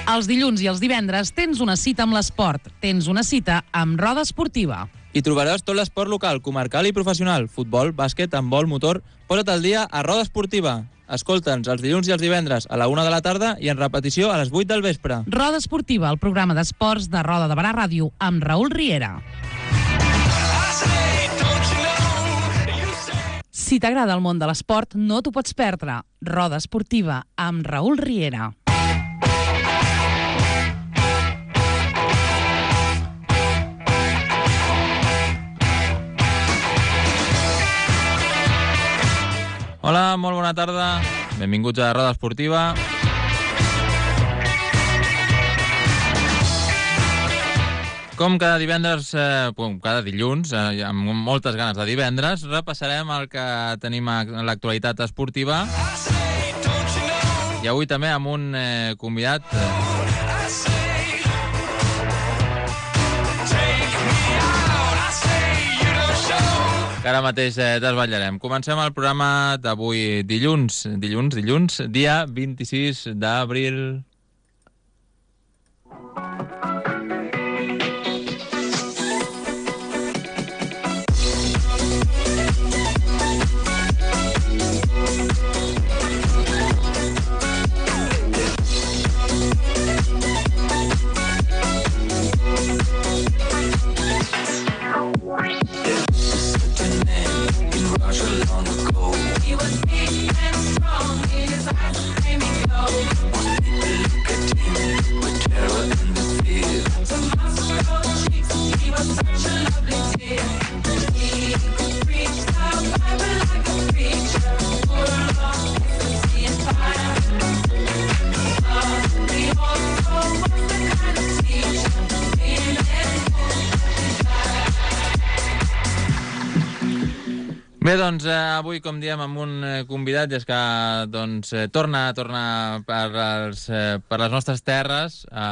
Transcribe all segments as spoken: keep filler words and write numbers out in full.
Els dilluns i els divendres tens una cita amb l'esport. Tens una cita amb Roda Esportiva. Hi trobaràs tot l'esport local, comarcal i professional. Futbol, bàsquet, handbol, motor... Posa't al dia a Roda Esportiva. Escolta'ns els dilluns i els divendres a la una de la tarda i en repetició a les vuit del vespre. Roda Esportiva, el programa d'esports de Roda de Barà Ràdio, amb Raül Riera. Si t'agrada el món de l'esport, no t'ho pots perdre. Roda Esportiva, amb Raül Riera. Hola, molt bona tarda. Benvinguts a Roda Esportiva. Com cada divendres, eh, cada dilluns, eh, amb moltes ganes de divendres, repassarem el que tenim a l'actualitat esportiva. I avui també amb un eh, convidat... Eh, que ara mateix eh, desvetllarem. Comencem el programa d'avui dilluns, dilluns, dilluns, dia vint-i-sis d'abril. Bé, doncs, eh, avui, com diem, amb un eh, convidat, i és que doncs, eh, torna, torna per, els, eh, per les nostres terres, eh,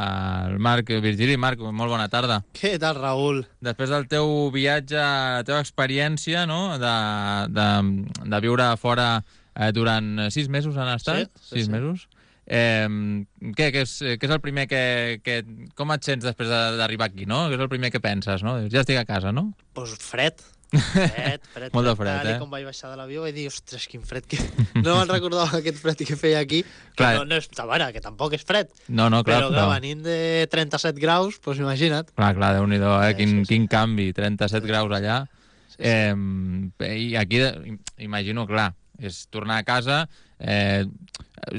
el Marc Virgili. Marc, molt bona tarda. Què tal, Raül? Després del teu viatge, la teva experiència, no?, de, de, de viure fora eh, durant sis mesos han estat? Sí, sí, sis sí. mesos. Eh, què, què, és, què és el primer que, que... Com et sents després d'arribar aquí, no? Què és el primer que penses, no? Ja estic a casa, no? Doncs pues fred. Fred, fred. Molt de fred, tal, eh? I com vaig baixar de l'avió vaig dir, ostres, quin fred que... No me'n recordava aquest fred que feia aquí. Que Clar. no, no és... A veure, que tampoc és fred. No, no, clar. Però, clar, venint de trenta-set graus, doncs imagina't. Clar, clar, Déu-n'hi-do, eh? Sí, Quin, sí, sí. quin canvi, trenta-set graus allà. Sí, sí. Eh, I aquí, imagino, clar, és tornar a casa... Eh,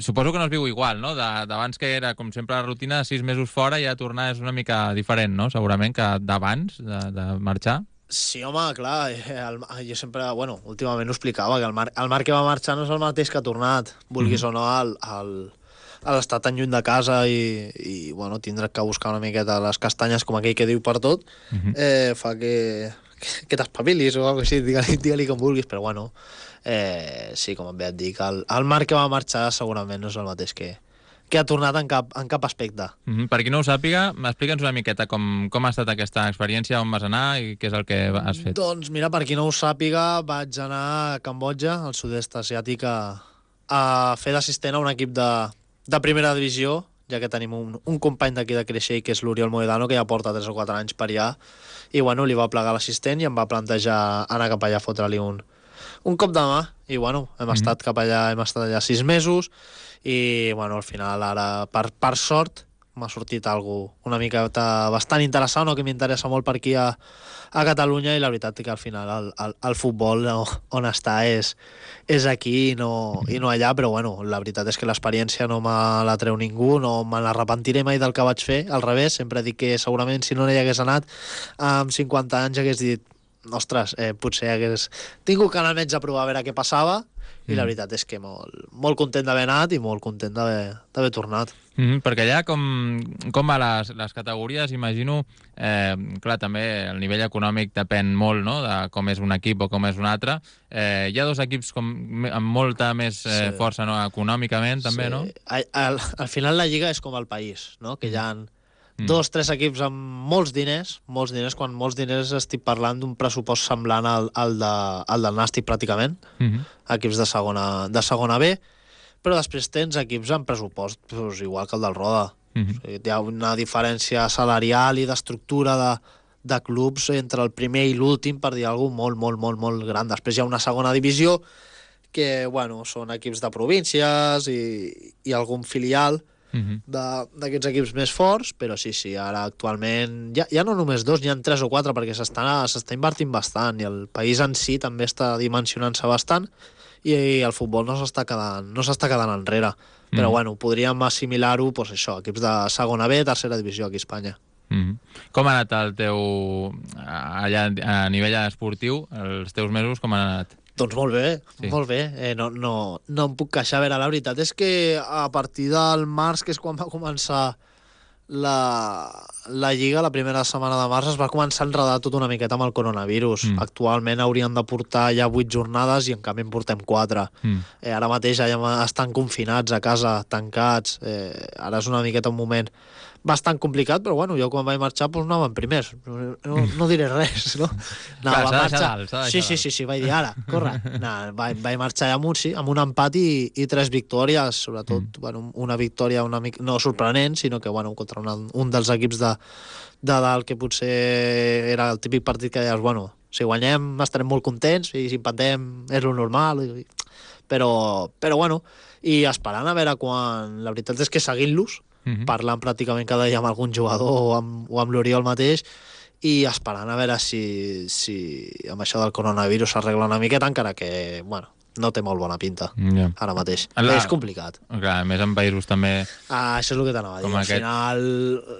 suposo que no es viu igual, no? D'abans que era, com sempre, la rutina, sis mesos fora, ja tornar és una mica diferent, no? Segurament que d'abans de, de marxar. Sí, home, clar, eh, el, jo sempre, bueno, últimament ho explicava, que el Marc, el Marc que va marxar no és el mateix que ha tornat, vulguis mm. o no, al, al, a l'estar tan lluny de casa i, i bueno, tindre que buscar una miqueta les castanyes, com aquell que diu per tot, mm -hmm. eh, fa que, que, que t'espavilis o alguna cosa així, digue-li digue com vulguis, però bueno, eh, sí, com bé et dic, el, el Marc que va marxar segurament no és el mateix que, que ha tornat en cap, en cap aspecte. Mm -hmm. Per qui no ho sàpiga, explica'ns una miqueta com, com ha estat aquesta experiència, on vas anar i què és el que has fet. Doncs mira, per qui no ho sàpiga, vaig anar a Cambodja, al sud-est asiàtic, a, a fer d'assistent a un equip de, de primera divisió, ja que tenim un, un company d'aquí de Creixell, que és l'Oriol Moedano, que ja porta tres o quatre anys per allà, i bueno, li va plegar l'assistent i em va plantejar anar cap allà a fotre-li un, un cop de mà, i bueno, hem mm -hmm. estat cap allà, hem estat allà sis mesos, i bueno, al final ara, per, per sort, m'ha sortit algo una mica bastant interessant, o que m'interessa molt per aquí a, a Catalunya, i la veritat que al final el, el, el futbol no, on està és, és aquí i no, i no allà, però bueno, la veritat és que l'experiència no me la treu ningú, no me l'arrepentiré mai del que vaig fer, al revés, sempre dic que segurament si no hi hagués anat amb cinquanta anys hagués dit, ostres, eh, potser hagués tingut que anar al metge a provar a veure què passava, i la veritat és que molt, molt content d'haver anat i molt content d'haver tornat. Mm -hmm, perquè allà com, com va les, les categories, imagino, eh, clar, també el nivell econòmic depèn molt, no?, de com és un equip o com és un altre. Eh, hi ha dos equips com, amb molta més eh, Sí. força, no?, econòmicament, també, Sí. no? Al, al, al final la Lliga és com el país, no?, que hi ha mm. dos, tres equips amb molts diners, molts diners, quan molts diners estic parlant d'un pressupost semblant al, al, de, al del Nàstic, pràcticament, Mm -hmm. equips de segona, de segona B, però després tens equips amb pressupost doncs, igual que el del Roda. Mhm. O sigui, hi ha una diferència salarial i d'estructura de, de clubs entre el primer i l'últim, per dir alguna cosa molt, molt, molt, molt gran. Després hi ha una segona divisió que, bueno, són equips de províncies i, i algun filial Mhm. de- d'aquests equips més forts, però sí, sí, ara actualment ja, ja no només dos, n'hi ha tres o quatre perquè s'està s'està invertint bastant i el país en si també està dimensionant-se bastant i, i el futbol no s'està quedant, no s'està quedant enrere. Però Mhm. bueno, podríem assimilar-ho, doncs això, equips de segona B, tercera divisió aquí a Espanya. Mhm. Com ha anat el teu... allà a nivell esportiu, els teus mesos, com han anat? Doncs molt bé, Sí. sí. molt bé. Eh, no, no, no em puc queixar. A veure, la veritat és que a partir del març, que és quan va començar la, la Lliga, la primera setmana de març, es va començar a enredar tot una miqueta amb el coronavirus. Mm. Mm. Actualment haurien de portar ja vuit jornades i en canvi en portem quatre. Mm. Eh, ara mateix ja estan confinats a casa, tancats. Eh, ara és una miqueta un moment bastant complicat, però bueno, jo quan vaig marxar doncs anàvem primers. No, no, no diré res, no? No, Clar, va s'ha de marxar... deixar dalt, s'ha de sí, deixar sí, dalt. sí, sí, vaig dir ara, corre. No, vaig, vaig marxar amb un, sí, amb un empat i, i tres victòries, sobretot mm. bueno, una victòria una mica, no sorprenent, sinó que bueno, contra una, un dels equips de, de dalt que potser era el típic partit que deies, bueno, si guanyem estarem molt contents i si empatem és lo normal, i, però, però bueno, i esperant a veure quan... La veritat és que seguint-los, Mhm. parlant pràcticament cada dia amb algun jugador o amb, o amb l'Oriol mateix i esperant a veure si, si amb això del coronavirus s'arregla una miqueta, encara que, bueno, no té molt bona pinta Ja. ara mateix. La- És complicat. Clar, a més en països també... Ah, això és el que t'anava a dir. Com Al aquest. final,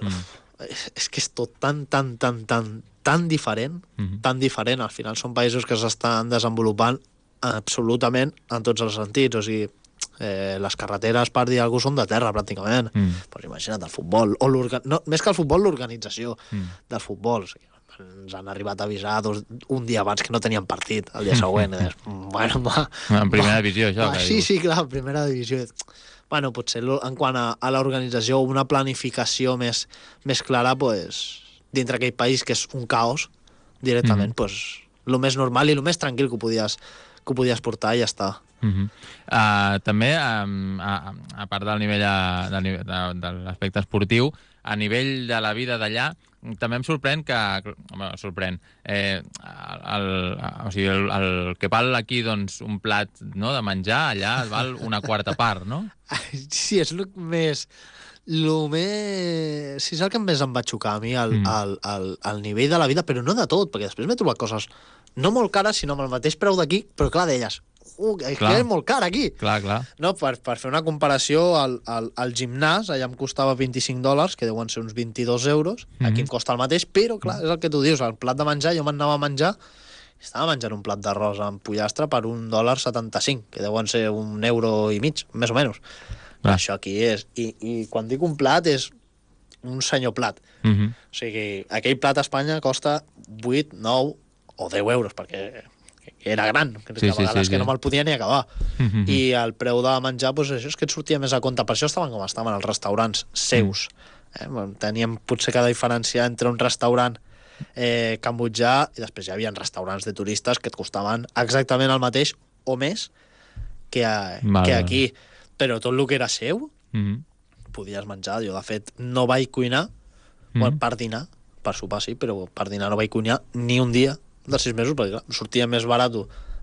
Mm. és, és que és tot tan, tan, tan, tan, tan diferent, Mhm. tan diferent. Al final són països que s'estan desenvolupant absolutament en tots els sentits. O sigui, eh, les carreteres, per dir alguna cosa, són de terra, pràcticament. Mm. Pues imagina't, el futbol, o l'orga- no, més que el futbol, l'organització Mm. del futbol. O sigui, ens han arribat a avisar dos, un dia abans que no tenien partit, el dia següent. I des, bueno, va, En primera va, divisió, això, va, que sí, dius. sí, clar, primera divisió. Bueno, potser lo- en quant a, a l'organització, una planificació més, més clara, pues, dintre aquell país que és un caos, directament, Mhm. pues, el més normal i el més tranquil que ho podies, que ho podies portar i ja està. Uh-huh. Uh, també, um, a, a part del nivell, a, del nivell de, de l'aspecte esportiu, a nivell de la vida d'allà, també em sorprèn que... Home, sorprèn. Eh, el, el, o sigui, el, el que val aquí doncs, un plat, no, de menjar, allà et val una quarta part, no? Sí, és el més... Lo més... Sí, és el que més em va xocar a mi, el, Mm. el, el, el nivell de la vida, però no de tot, perquè després m'he trobat coses no molt cares, sinó amb el mateix preu d'aquí, però clar, deies, uh, és Clar. que és molt car aquí. Clar, clar. No, per, per fer una comparació, el, el, el gimnàs allà em costava vint-i-cinc dòlars, que deuen ser uns vint-i-dos euros, Mhm. aquí em costa el mateix, però clar, és el que tu dius, el plat de menjar, jo m'anava a menjar, estava menjant un plat d'arròs amb pollastre per un dòlar setanta-cinc, que deuen ser un euro i mig, més o menys. Clar. Això aquí és... I, I quan dic un plat és un senyor plat. Uh -huh. O sigui, aquell plat a Espanya costa vuit, nou o deu euros, perquè era gran, que Sí, a sí, vegades sí, que sí. no me'l podia ni acabar. Uh -huh. I el preu de menjar, doncs això és que et sortia més a compte. Per això estaven com estaven els restaurants seus. Eh? Bueno, teníem potser cada diferència entre un restaurant eh, cambodjà i després hi havia restaurants de turistes que et costaven exactament el mateix o més que, a, Val, que val. aquí. Però tot el que era seu Uh -huh. podies menjar. Jo, de fet, no vaig cuinar Mhm. bueno, per dinar, per sopar sí, però per dinar no vaig cuinar ni un dia dels sis mesos, perquè clar, sortia més barat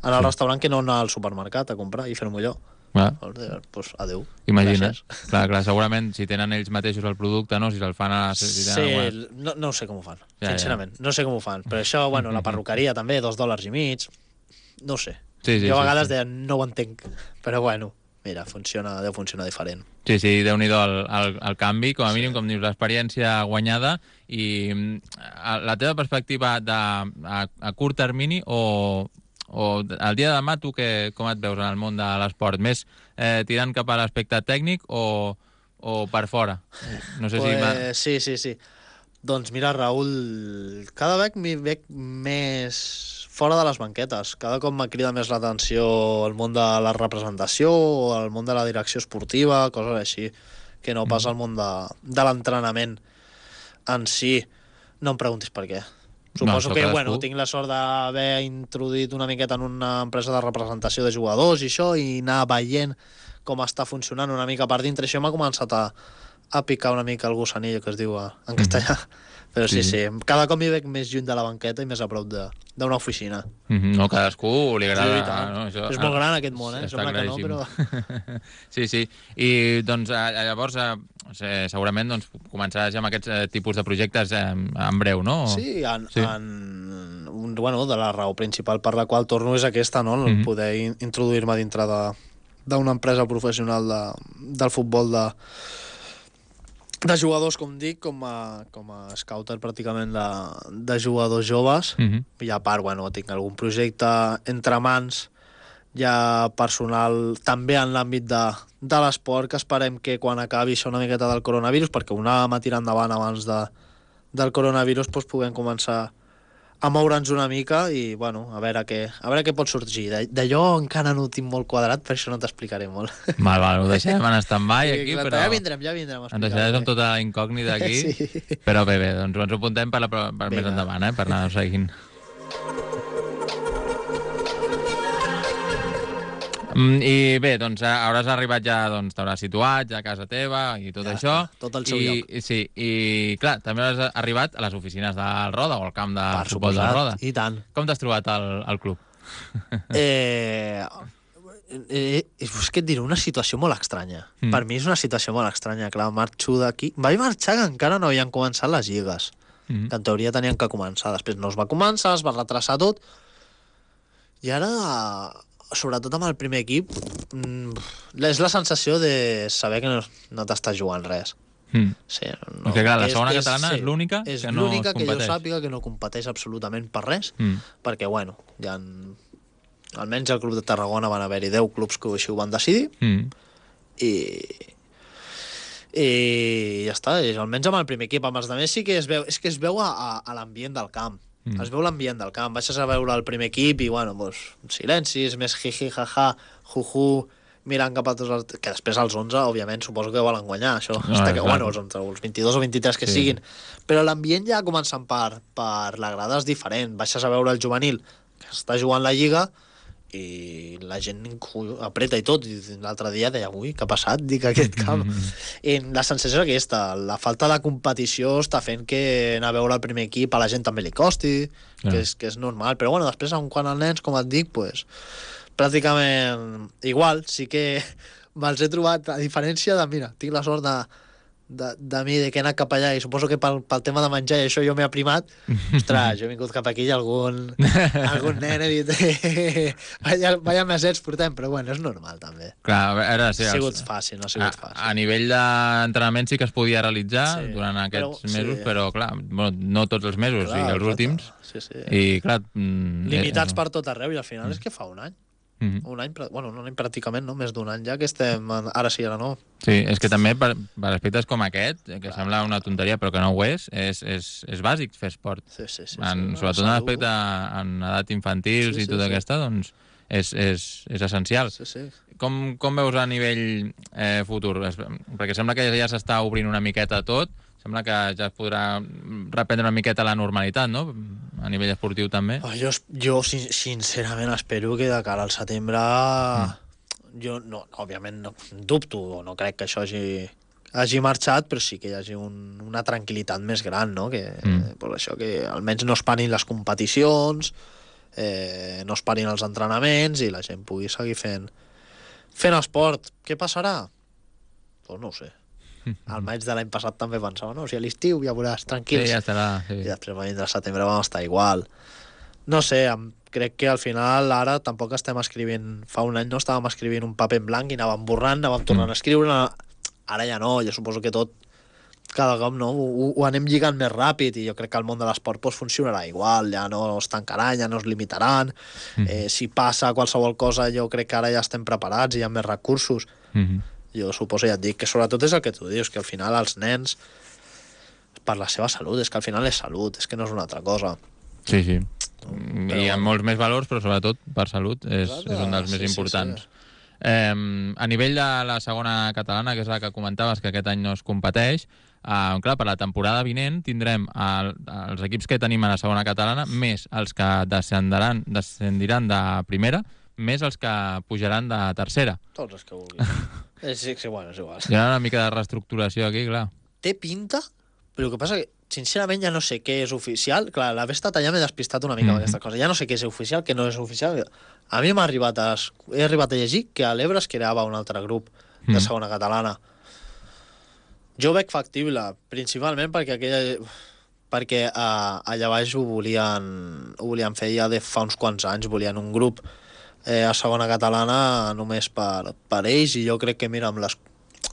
anar al restaurant que no anar al supermercat a comprar i fer-m'ho jo. Clar. Doncs, pues, adeu. Imagina't. Gràcies. Clar, clar, segurament si tenen ells mateixos el producte, no? Si se'l fan a... Si Sí, tenen alguna- no, no ho sé com ho fan, Ja, sincerament. No sé com ho fan. Però això, bueno, la perruqueria també, dos dòlars i mig, no ho sé. Sí, sí, jo a sí, vegades sí. deia, no ho entenc. Però bueno, mira, funciona, deu funcionar diferent. Sí, sí, déu-n'hi-do el, el, el canvi, com a mínim, com dius, l'experiència guanyada i mm, a- la teva perspectiva de, a, a curt termini o, o el dia de demà tu que, com et veus en el món de l'esport? Més eh, tirant cap a l'aspecte tècnic o, o per fora? No sé si... m'ha- Pues, sí, sí, sí. Doncs mira, Raül, cada vegada m'hi veig més fora de les banquetes. Cada cop m'ha cridat més l'atenció el món de la representació o el món de la direcció esportiva, coses així, que no pas el món de, de l'entrenament en si. No em preguntis per què. Suposo No, que, cadascú. bueno, tinc la sort d'haver introduït una miqueta en una empresa de representació de jugadors i això, i anar veient com està funcionant una mica per dintre. Això m'ha començat a, a picar una mica el gusanillo, que es diu a, en castellà. Mm. Però sí, sí, sí, cada cop m'hi veig més lluny de la banqueta i més a prop d'una oficina. Mm -hmm. No, cadascú li agrada... Sí, no, això, és molt gran aquest món, eh? Està Sembla que no, però... sí, sí. I, doncs, llavors, eh, segurament doncs, començaràs ja amb aquests eh, tipus de projectes eh, en breu, no? Sí, en, sí. en, un, bueno, de la raó principal per la qual torno és aquesta, no? Mm -hmm. Poder in, introduir-me dintre de d'una empresa professional de, del futbol de, de jugadors, com dic, com a, com a scouter pràcticament de, de jugadors joves. Mm -hmm. I a part, bueno, tinc algun projecte entre mans ja personal, també en l'àmbit de, de l'esport, que esperem que quan acabi això una miqueta del coronavirus, perquè ho anàvem a tirar endavant abans de, del coronavirus, doncs puguem començar a moure'ns una mica i, bueno, a veure què, a veure què pot sorgir. D'allò encara no ho tinc molt quadrat, per això no t'explicaré molt. Val, val, ho deixem en stand-by aquí, sí, clar, però... Ja vindrem, ja vindrem a ens deixaràs amb tota la incògnita aquí, sí. Però bé, bé, doncs ens ho apuntem per, la, per més endavant, eh, per anar seguint. I bé, doncs hauràs arribat ja, doncs t'hauràs situat ja a casa teva i tot ja això. Tot el seu I, lloc. Sí, i clar, també hauràs arribat a les oficines del Roda o al camp de per futbol suposat, del Roda. I tant. Com t'has trobat al, al club? Eh, eh, és que et diré, una situació molt estranya. Mm. Per mi és una situació molt estranya. Clar, marxo d'aquí... Vaig marxar que encara no havien començat les lligues, mm. que en teoria tenien que començar. Després no es va començar, es va retrasar tot. I ara... sobretot amb el primer equip, és la sensació de saber que no, no t'estàs jugant res. Mm. Sí, no, que clar, la segona és, catalana és, és l'única que no es competeix. És l'única que jo sàpiga que no competeix absolutament per res, mm. perquè, bueno, hi ha... almenys al Club de Tarragona van haver-hi deu clubs que així ho van decidir, mm. i... i ja està, i almenys amb el primer equip. Amb els altres sí que es veu, és que es veu a, a, a l'ambient del camp. Mm. Es veu l'ambient del camp. Baixes a veure el primer equip i, bueno, doncs, silencis, més jiji, jaja, juju, mirant cap a tots els... Que després els onze, òbviament, suposo que volen guanyar, això. No, està que, bueno, els, onze, els vint-i-dos o vint-i-tres que sí. siguin. Però l'ambient ja començant per, per la grada és diferent. Baixes a veure el juvenil, que està jugant la Lliga, i la gent apreta i tot. I l'altre dia deia, ui, què ha passat? Dic, aquest camp. Mm-hmm. I la sensació és aquesta, la falta de competició està fent que anar a veure el primer equip a la gent també li costi, yeah. que, és, que és normal. Però bueno, després, quan els nens, com et dic, pues, pràcticament igual. Sí que me'ls he trobat, a diferència de, mira, tinc la sort de, de, de mi, de que he anat cap allà, i suposo que pel, pel tema de menjar i això jo m'he aprimat. Ostres, jo he vingut cap aquí i algun, algun nen he dit vaya, vaya mesets portem, però bueno, és normal també. Clar, a veure, sí, ha sigut fàcil, no ha sigut a, fàcil. A nivell d'entrenament sí que es podia realitzar sí, durant aquests però, mesos, sí. però clar, bueno, no tots els mesos, clar, i els últims. Sí, sí. I clar... Mm, limitats eh, per tot arreu, i al final mm. és que fa un any. Mm-hmm. Un any, bueno, un any pràcticament, no? Més d'un any ja que estem, ara sí, ara no. Sí, és que també per, per aspectes com aquest, que clar. Sembla una tonteria però que no ho és, és, és, és bàsic fer esport. Sí, sí, sí, en, sí, sobretot en l'aspecte en edat infantil sí, sí, i tota sí. aquesta, doncs és, és, és essencial. Sí, sí. Com, com veus a nivell eh, futur? Perquè sembla que ja s'està obrint una miqueta tot, sembla que ja es podrà reprendre una miqueta la normalitat, no? A nivell esportiu també. Oh, jo, jo sincerament espero que de cara al setembre mm. jo no, òbviament no dubto o no crec que això hagi, hagi marxat, però sí que hi hagi un, una tranquil·litat més gran, no? Que, mm. per això que almenys no es parin les competicions, eh, no es parin els entrenaments i la gent pugui seguir fent fent esport. Què passarà? Doncs no ho sé. Al maig de l'any passat també pensava, no, o sigui, a l'estiu ja veuràs, tranquils. Sí, ja estarà. Sí. I després va vindre al setembre, vam estar igual. No sé, crec que al final ara tampoc estem escrivint, fa un any no estàvem escrivint un paper en blanc i anàvem borrant, anàvem tornant mm. a escriure, ara ja no, jo suposo que tot cada cop no, ho, ho anem lligant més ràpid i jo crec que el món de l'esport pues, funcionarà igual, ja no es tancaran, ja no es limitaran, mm. eh, si passa qualsevol cosa jo crec que ara ja estem preparats i hi ha més recursos. Mm-hmm. Jo suposo, ja et dic, que sobretot és el que tu dius, que al final els nens, per la seva salut, és que al final és salut, és que no és una altra cosa. Sí, sí. Però, I hi ha molts més valors, però sobretot per salut és, és un dels més sí, importants. Sí, sí. Eh, a nivell de la segona catalana, que és la que comentaves, que aquest any no es competeix, eh, clar, per la temporada vinent tindrem el, els equips que tenim a la segona catalana, més els que descendiran, descendiran de primera, més els que pujaran de tercera. Tots els que vulguis. és, és, igual, és igual. Hi ha una mica de reestructuració aquí, clar. Té pinta, però el que passa que, sincerament, ja no sé què és oficial. Clar, l'haver estat allà m'he despistat una mica mm -hmm. amb aquesta cosa. Ja no sé què és oficial, què no és oficial. A mi m'ha arribat a, he arribat a llegir que a l'Ebre es creava un altre grup de Mm. segona catalana. Jo ho veig factible, principalment perquè aquella... perquè uh, allà baix ho volien, ho volien fer ja de fa uns quants anys, volien un grup eh, a segona catalana només per, per ells, i jo crec que, mira, amb les,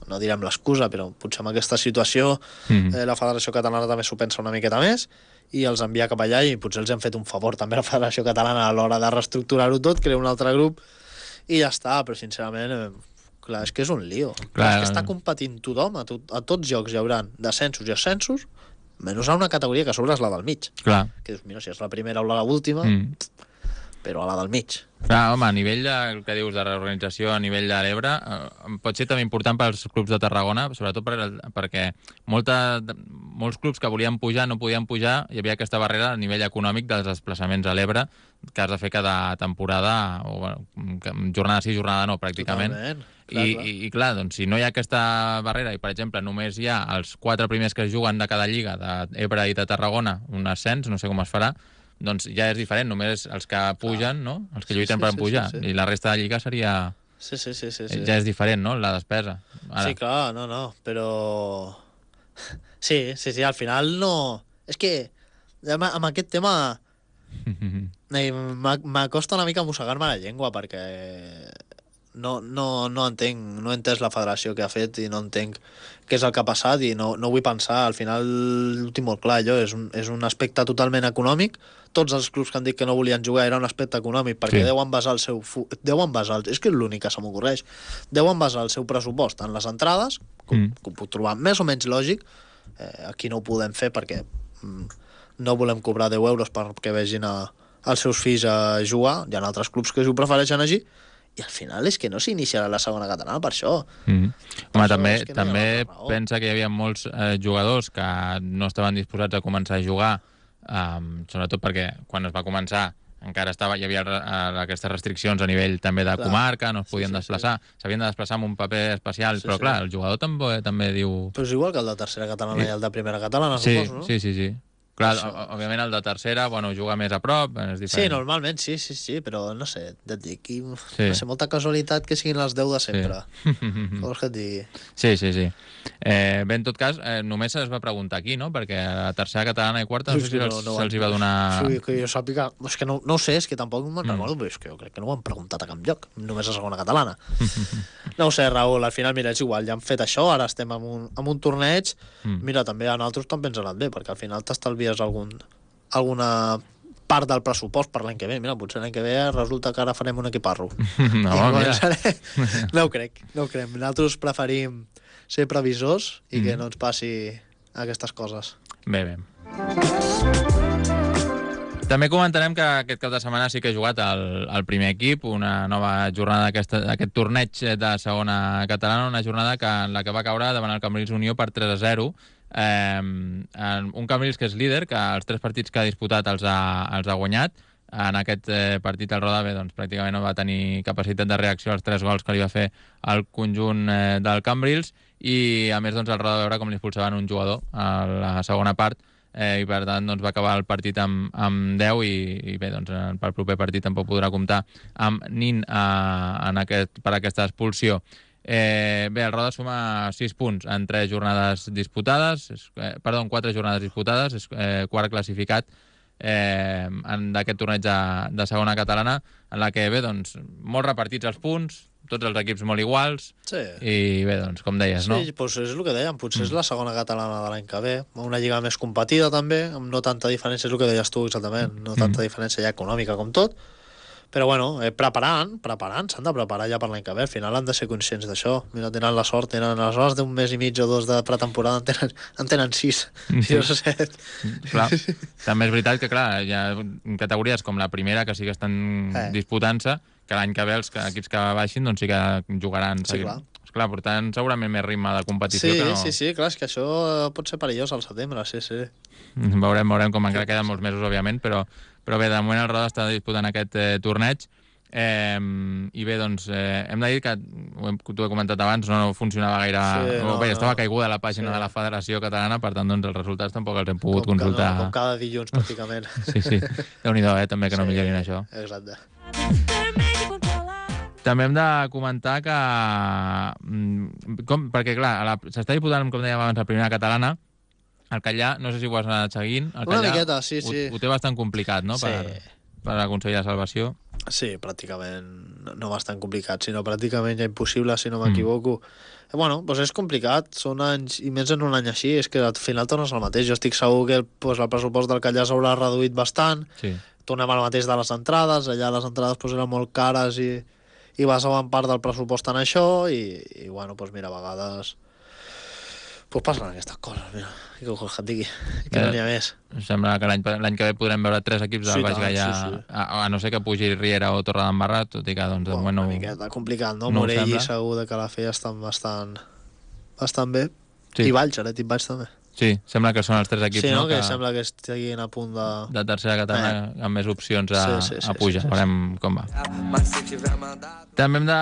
no direm l'excusa, però potser amb aquesta situació Mm. eh, la Federació Catalana també s'ho pensa una miqueta més i els envia cap allà, i potser els han fet un favor també a la Federació Catalana a l'hora de reestructurar-ho tot, crear un altre grup i ja està, però sincerament eh, clar, és que és un lío. Clar, Clar, és que està competint tothom, a, to a tots jocs hi haurà descensos i ascensos, menys a una categoria que a sobre és la del mig. Clar. Que dius, mira, si és la primera o la última, Mm. però a la del mig. Clar, home, a nivell de, el que dius de reorganització a nivell de l'Ebre, eh, pot ser també important pels clubs de Tarragona, sobretot per, perquè molta, molts clubs que volien pujar no podien pujar, hi havia aquesta barrera a nivell econòmic dels desplaçaments a l'Ebre, que has de fer cada temporada, o bueno, jornada sí, jornada no, pràcticament. Totalment. Clar, I, clar. i, I clar, doncs, si no hi ha aquesta barrera i, per exemple, només hi ha els quatre primers que es juguen de cada lliga, d'Ebre i de Tarragona, un ascens, no sé com es farà, doncs ja és diferent, només els que pugen, no? Els que lluiten Sí, sí, per sí, pujar, sí, sí. i la resta de lliga seria... Sí, sí, sí, sí, sí. Ja és diferent, no?, la despesa. Ara. Sí, clar, no, no, però... Sí, sí, sí, al final no... És que amb, amb aquest tema eh, m'ha- m'acosta una mica mossegar-me la llengua, perquè no, no, no entenc, no he entès la federació que ha fet i no entenc què és el que ha passat i no, no vull pensar, al final ho tinc molt clar, allò és un, és un aspecte totalment econòmic. Tots els clubs que han dit que no volien jugar era un aspecte econòmic, perquè Sí. deuen basar el seu... fu- Deuen basar, el- és que és l'únic que se m'ocorreix, deuen basar el seu pressupost en les entrades, com, Mm. que ho puc trobar més o menys lògic. Eh, aquí no ho podem fer perquè mm, no volem cobrar deu euros perquè vegin a, als seus fills a jugar. Hi ha altres clubs que ho prefereixen així, i al final és que no s'iniciarà la segona catalana per això. Mm. Home, això també, és que no hi ha també altra raó. pensa que hi havia molts eh, jugadors que no estaven disposats a començar a jugar, um, sobretot perquè quan es va començar encara estava, hi havia uh, aquestes restriccions a nivell també de Clar. comarca, no es Sí, podien sí, desplaçar, s'havien de desplaçar amb un paper especial, Sí, però sí. clar, el jugador també, també diu... Però és igual que el de tercera catalana Sí. i el de primera catalana, Sí, suposo, no? sí, sí, sí. Clar, Això. o- òbviament el de tercera, bueno, juga més a prop, és Sí, diferent. normalment, sí, sí, sí, però no sé, et dic, aquí, Sí. no sé, molta casualitat que siguin les deu de sempre. Sí. Què vols que et digui? Sí, sí, sí. Eh, bé, en tot cas, eh, només es va preguntar aquí, no? Perquè a la tercera catalana i quarta no sé si se'ls se'ls hi va donar... Sí, que jo sàpiga... És que no, no ho sé, és que tampoc me'n Mm. recordo, però és que jo crec que no ho han preguntat a cap lloc, només a segona catalana. No ho sé, Raül, al final, mira, és igual, ja hem fet això, ara estem en un, en un torneig, Mm. mira, també a nosaltres també ens ha anat bé, perquè al final t'estalvies algun, alguna part del pressupost per l'any que ve. Mira, potser l'any que ve resulta que ara farem un equiparro. No, I mira. començaré... No ho crec, no ho crec. Nosaltres preferim ser previsors i que Mm. no ens passi aquestes coses. Bé, bé. També comentarem que aquest cap de setmana sí que he jugat el, el primer equip, una nova jornada d'aquest torneig de segona catalana, una jornada que, en la que va caure davant el Cambrils Unió per tres a zero. Eh, un Cambrils que és líder, que els tres partits que ha disputat els ha, els ha guanyat. En aquest eh, partit el Roda bé, doncs, pràcticament no va tenir capacitat de reacció als tres gols que li va fer el conjunt eh, del Cambrils, i a més doncs, el Roda va veure com li expulsaven un jugador a la segona part, eh, i per tant doncs, va acabar el partit amb, amb deu, i, i bé, doncs, pel proper partit tampoc podrà comptar amb Nin eh, en aquest, per aquesta expulsió. Eh, bé, el Roda suma sis punts en tres jornades disputades, és, eh, perdó, en quatre jornades disputades, és eh, quart classificat eh, d'aquest torneig de, de segona catalana, en la que, bé, doncs, molt repartits els punts, tots els equips molt iguals, Sí. i bé, doncs, com deies, no? Sí, doncs és el que dèiem, potser és la segona catalana de l'any que ve, una lliga més competida també, amb no tanta diferència, és el que deies tu exactament, no tanta diferència ja econòmica com tot, però bueno, eh, preparant, preparant, s'han de preparar ja per l'any que ve, al final han de ser conscients d'això. Mira, tenen la sort, tenen aleshores d'un mes i mig o dos de pretemporada, en tenen, en tenen sis, Sí. sis o set. Clar. També és veritat que, clar, hi ha categories com la primera que sí que estan Eh. disputant-se, que l'any que ve els equips que baixin doncs sí que jugaran. Sí, clar. Clar, portant segurament més ritme de competició sí, que no... Sí, sí, clar, és que això pot ser perillós al setembre, sí, sí. Veurem, veurem com encara queden molts mesos, òbviament, però, però bé, de moment el Roda està disputant aquest eh, torneig. Eh, I bé, doncs, eh, hem de dir que, tu he comentat abans, no funcionava gaire... Sí, no, bé, estava no. caiguda la pàgina sí. de la Federació Catalana, per tant, doncs, els resultats tampoc els hem pogut com consultar. No, com cada dilluns, pràcticament. Sí, sí. Déu-n'hi-do, eh, també, que no sí, millorin això. Exacte. També hem de comentar que... Com, perquè, clar, s'està disputant, com dèiem abans, la primera catalana. El Callà, no sé si ho has anat seguint, el Una Callà miqueta, sí, sí. Ho, ho té bastant complicat, no?, sí. per, per aconseguir la salvació. Sí, pràcticament, no, no bastant complicat, sinó pràcticament ja impossible, si no m'equivoco. Mm. Bueno, doncs és complicat, són anys, i més en un any així, és que al final tornes al mateix. Jo estic segur que pues, el pressupost del Callà s'haurà reduït bastant, sí. Tornem al mateix de les entrades, allà les entrades pues, eren molt cares i, i basaven part del pressupost en això, i, i bueno, pues, mira, a vegades pues passen aquestes coses, mira, i que vols que et digui, que eh, no n'hi ha més. Em sembla que l'any que ve podrem veure tres equips del sí, Baix Gaià, sí, sí. a, a no ser que pugi Riera o Torredembarra, tot i que doncs, de bueno, moment no... Una miqueta complicat, no? no Morell segur de que la feia estan bastant, bastant bé, sí. I Valls, Aret i Valls també. Sí, sembla que són els tres equips, sí, no? no? Que, que sembla que estiguin a punt de... De tercera catalana, eh. amb més opcions a, sí, sí, sí, a pujar. Sí, sí, sí. Veurem com va. També hem de...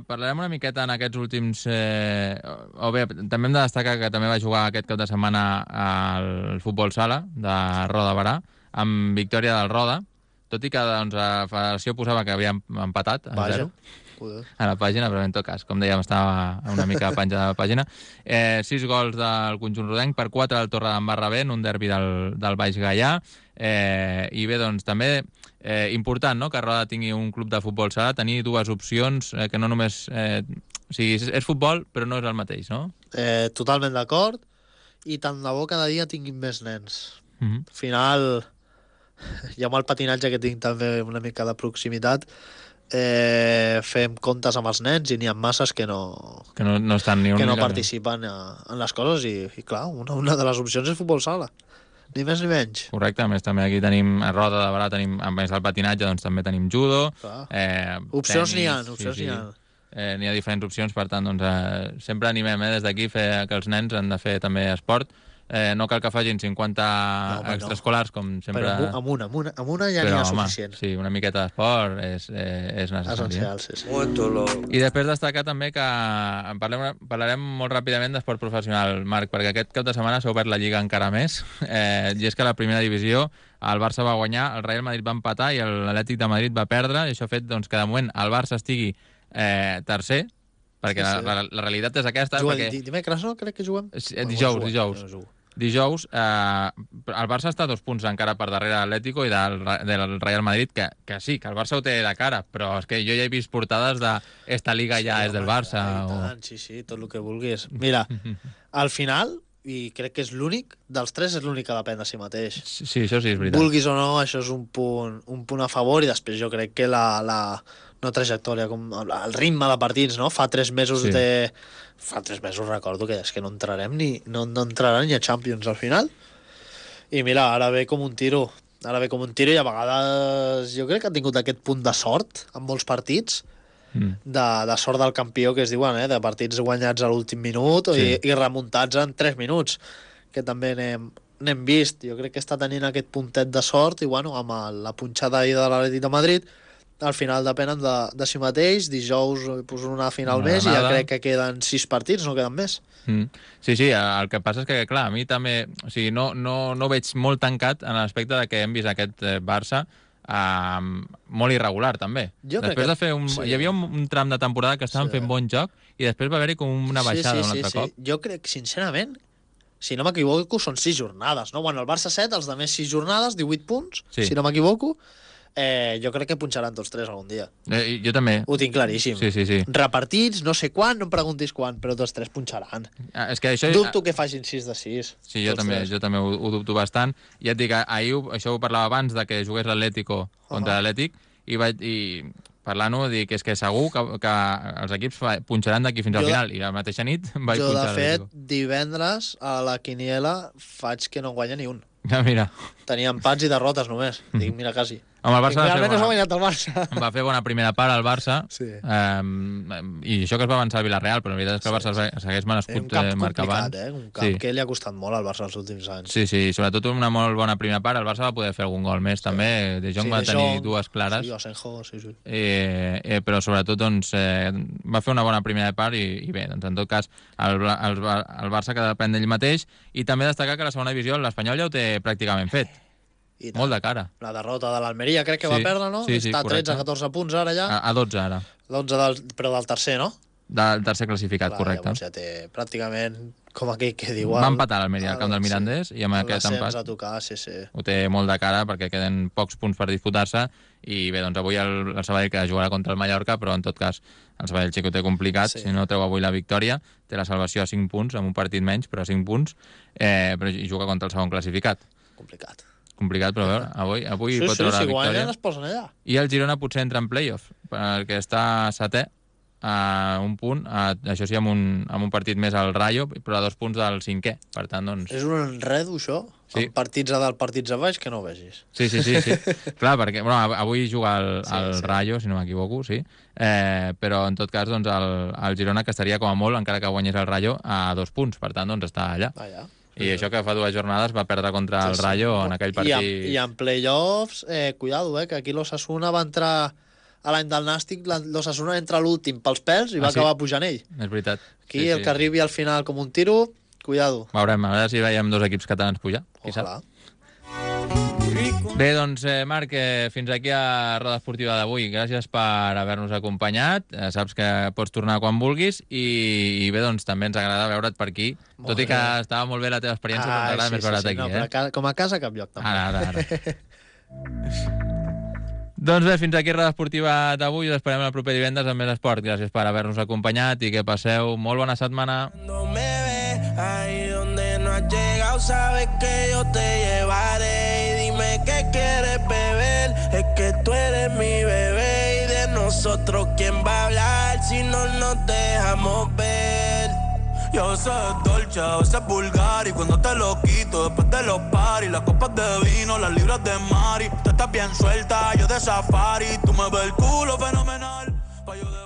Parlarem una miqueta en aquests últims... Eh... O bé, també hem de destacar que també va jugar aquest cap de setmana al futbol sala de Roda Barà, amb victòria del Roda, tot i que doncs, la federació posava que havia empatat a Vaja. zero. A la pàgina, però en tot cas, com dèiem, estava una mica penjada a la pàgina. Eh, sis gols del conjunt rodenc, per quatre del Torredembarra B, en un derbi del, del Baix Gaià. Eh, I bé, doncs, també eh, important, no?, que Roda tingui un club de futbol sala, tenir dues opcions, eh, que no només... Eh, o sigui, és, és futbol, però no és el mateix, no? Eh, totalment d'acord, i tant de bo cada dia tinguin més nens. Mm-hmm. Al final, i amb el patinatge que tinc també una mica de proximitat, eh, fem comptes amb els nens i n'hi ha masses que no, que no, no, estan ni un que no ni participen a, en les coses i, i clar, una, una de les opcions és futbol sala, ni més ni menys. Correcte, a més també aquí tenim a Roda de Barà, tenim, a més del patinatge, doncs també tenim judo. Eh, opcions n'hi ha, opcions sí, sí. n'hi ha. Eh, n'hi ha diferents opcions, per tant, doncs, eh, sempre animem eh, des d'aquí fer que els nens han de fer també esport. Eh, no cal que facin cinquanta no, extraescolars, com sempre... Però amb una, amb una, amb una ja n'hi ha home, suficient. Sí, una miqueta d'esport és, eh, és necessari. Essencial, sí, sí. I després destacar també que parlem, parlarem molt ràpidament d'esport professional, Marc, perquè aquest cap de setmana s'ha obert la Lliga encara més, eh, i és que la primera divisió el Barça va guanyar, el Real Madrid va empatar i l'Atlètic de Madrid va perdre, i això ha fet doncs, que de moment el Barça estigui eh, tercer, perquè sí, sí. La, la, la realitat és aquesta. Juguem, perquè... Dimecres, no? Crec que juguem. Dijous, no, dijous. No dijous, eh, el Barça està a dos punts encara per darrere l'Atlético i del, del Real Madrid, que, que sí, que el Barça ho té de cara, però és que jo ja he vist portades de esta liga sí, ja és del Barça. O... Tant, sí, sí, tot el que vulguis. Mira, al final, i crec que és l'únic, dels tres és l'únic que depèn de si mateix. Sí, això sí, és veritat. Vulguis o no, això és un punt, un punt a favor, i després jo crec que la... la no trajectòria, com el ritme de partits, no? Fa tres mesos sí. de... Fa tres mesos recordo que és que no entrarem ni... No, no entrarem ni a Champions al final. I mira, ara ve com un tiro. Ara ve com un tiro i a vegades jo crec que ha tingut aquest punt de sort en molts partits, mm. de, de sort del campió, que es diuen, eh? De partits guanyats a l'últim minut sí. i, i remuntats en tres minuts, que també n'hem, n'hem vist. Jo crec que està tenint aquest puntet de sort i, bueno, amb el, la punxada ahir de l'Atlètic de Madrid, al final depenen de, de si mateix. Dijous pues, una final no, més i ja crec que queden sis partits, no queden més. Mm. Sí, sí, el que passa és que, clar, a mi també... O sigui, no, no, no veig molt tancat en l'aspecte de que hem vist aquest eh, Barça eh, molt irregular, també. Jo després de fer un... Sí. Hi havia un, un tram de temporada que estaven sí. fent bon joc i després va haver-hi com una baixada sí, sí, un altre sí, cop. Sí. Jo crec, sincerament, si no m'equivoco, són sis jornades, no? Bueno, el Barça set, els de més sis jornades, divuit punts, sí. si no m'equivoco. Eh, jo crec que punxaran tots tres algun dia. Eh, jo també. Ho tinc claríssim. Sí, sí, sí. Repartits, no sé quan, no em preguntis quan, però tots tres punxaran. Ah, és que això... Dubto que facin sis de sis. Sí, jo també, jo també ho, ho dubto bastant. Ja et dic, ahir ho, això ho parlava abans de que jugués l'Atlético contra uh -huh. l'Atlètic i, vaig, i parlant-ho dic que és que segur que, que els equips punxaran d'aquí fins al final i la mateixa nit vaig jo, punxar Jo, l'Atlético. de fet, divendres a la quiniela faig que no guanya ni un. Ja, mira. Tenia empats i derrotes només. Dic, mira, quasi. Home, el Barça va fer realment no s'ha bona, guanyat el Barça. va fer bona primera part al Barça, Sí. eh, i això que es va avançar al Villarreal, però la veritat és que el Barça sí. segueix merescut un camp eh, marcar complicat, abans. eh? Un camp Sí. que li ha costat molt al Barça els últims anys. Sí, sí, sobretot una molt bona primera part. El Barça va poder fer algun gol més, sí. també. De Jong Sí, va De tenir Jong, dues clares. Sí, Asenjo, sí, sí. Eh, eh, però sobretot doncs, eh, va fer una bona primera part i, i bé, doncs, en tot cas el, el, el Barça que depèn d'ell mateix, i també destacar que la segona divisió l'Espanyol ja ho té pràcticament fet. Molt de cara. La derrota de l'Almeria crec que Sí, va perdre, no? sí, sí, Està a correcte. tretze catorze punts ara ja. A, a dotze ara. dotze del, però del tercer, no? Del tercer classificat, Clar, correcte. Llavors ja té pràcticament, com aquell que diu... Va empatar l'Almeria al camp del Mirandés sí. i amb aquest empat a tocar, sí, sí. ho té molt de cara perquè queden pocs punts per disputar-se i bé, doncs avui el, el Sabadell que jugarà contra el Mallorca, però en tot cas el Sabadell sí que ho té complicat, Sí. si no treu avui la victòria, té la salvació a cinc punts, amb un partit menys, però a cinc punts, eh, però i juga contra el segon classificat. Complicat. Complicat, però a veure, avui, avui Sí, pot sí, treure si la victòria. guanyen es posen allà. I el Girona potser entra en playoff, perquè està setè, a un punt, a, això sí, amb un, amb un partit més al Rayo, però a dos punts del cinquè. Per tant, doncs... És un enredo, això? Sí. Amb partits a dalt, partits a baix, que no ho vegis. Sí, sí, sí, sí. Clar, perquè bueno, avui juga el, Sí, el sí. Rayo, si no m'equivoco, sí. Eh, però, en tot cas, doncs, el, el Girona, que estaria com a molt, encara que guanyés el Rayo, a dos punts. Per tant, doncs, està allà. Allà. I això que fa dues jornades va perdre contra el Rayo en aquell partit... I en, i en playoffs, eh, cuidado, eh, que aquí l'Osasuna va entrar a l'any del Nàstic, la- l'Osasuna entra a l'últim pels pèls i va Ah, sí? acabar pujant ell. És veritat. Aquí Sí, el sí. que arribi al final com un tiro, cuidado. Veurem, a veure si veiem dos equips catalans pujar. Qui sap? Ojalà. Bé, doncs, eh, Marc, eh, fins aquí a Roda Esportiva d'avui. Gràcies per haver-nos acompanyat. Eh, saps que pots tornar quan vulguis i, i bé, doncs, també ens agrada veure't per aquí. Molt Tot i que bé. estava molt bé la teva experiència, però ens Ai, agrada més veure't aquí, no, eh? però a casa, com a casa cap lloc. També. Ara, ara, ara. Doncs bé, fins aquí Roda Esportiva d'avui. Us esperem el proper divendres amb més esport. Gràcies per haver-nos acompanyat i que passeu molt bona setmana. Cuando me ves ahí donde no has llegado, sabes que yo te llevaré. Y dime qué quieres beber, es que tú eres mi bebé. Y de nosotros, ¿quién va a hablar si no nos dejamos ver? Y a veces es dolce, a veces es vulgar. Y cuando te lo quito, después de los paris, las copas de vino, las libras de Mari. Tú estás bien suelta, yo de safari. Tú me ves el culo fenomenal, pa' yo de